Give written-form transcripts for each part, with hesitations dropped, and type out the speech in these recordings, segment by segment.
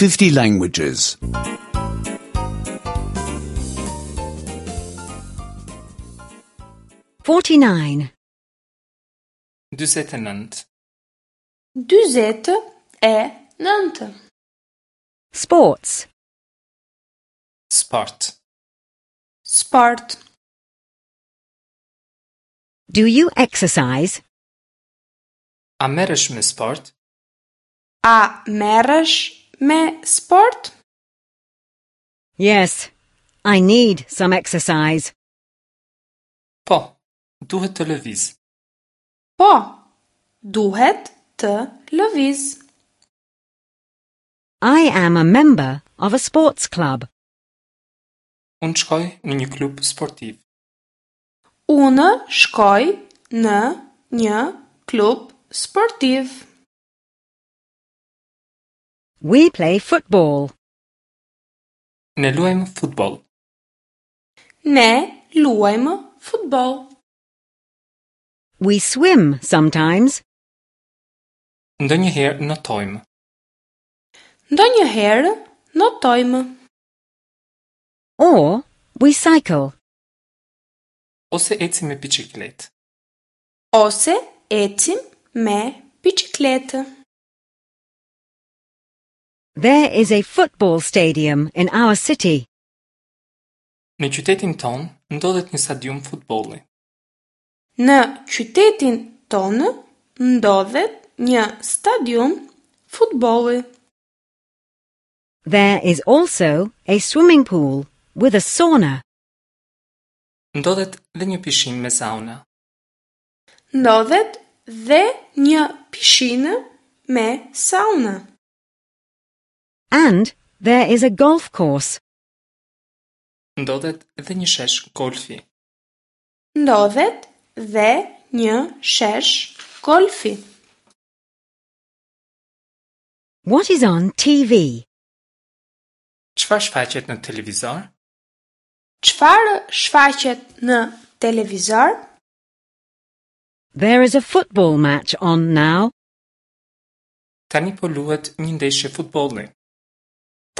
50 languages. 49. 49. 49. Sports. Sport. Sport. Do you exercise? A merresh me sport? A merresh me sport? Yes, I need some exercise. Po, duhet të lëviz. Po, duhet të lëviz. I am a member of a sports club. Unë shkoj në një klub sportiv. Unë shkoj në një klub sportiv. We play football. Ne luajmë futboll. Ne luajmë futboll. We swim sometimes. Ndonjëherë notojmë. Ndonjëherë notojmë. Or we cycle. Ose ecim me biçikletë. Ose ecim me biçikletë. There is a football stadium in our city. Në qytetin tonë ndodhet një stadium futbolli. Në qytetin tonë ndodhet një stadium futbolli. There is also a swimming pool with a sauna. Ndodhet dhe një pishinë me sauna. Ndodhet dhe një pishinë me sauna. And there is a golf course. Ndodhet dhe një shesh golfi. Ndodhet dhe një shesh golfi. What is on TV? Çfarë shfaqet në televizor? Çfarë shfaqet në televizor? There is a football match on now. Tani po luhet një ndeshje futbolli.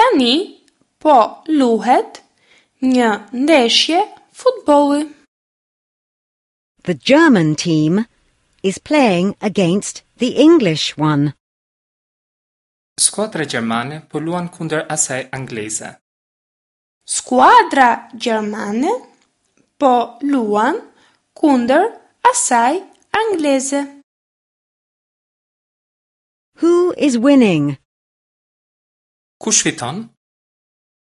Tani po luhet një ndeshje futbolli. The German team is playing against the English one. Skuadra gjermane po luan kundër asaj angleze. Skuadra gjermane po luan kundër asaj angleze. Who is winning? Kush fiton?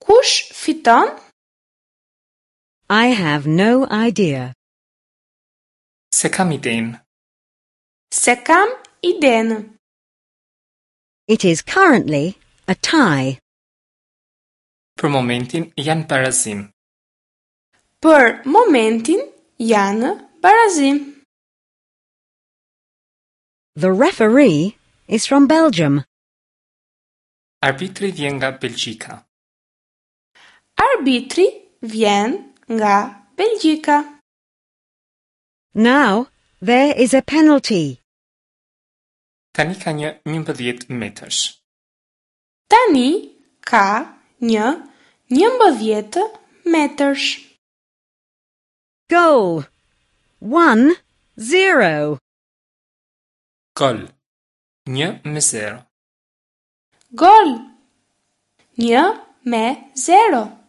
Kush fiton? I have no idea. Se kam idenë. Se kam idenë. It is currently a tie. Për momentin janë barazim. Për momentin janë barazim. The referee is from Belgium. Arbitri vjen nga Belgjika. Arbitri vjen nga Belgjika. Now there is a penalty. Tani ka një 11 metërsh. Tani ka një 11 metërsh. Goal. 1 0. Gol. 1 me 0. Gol. 1 me 0.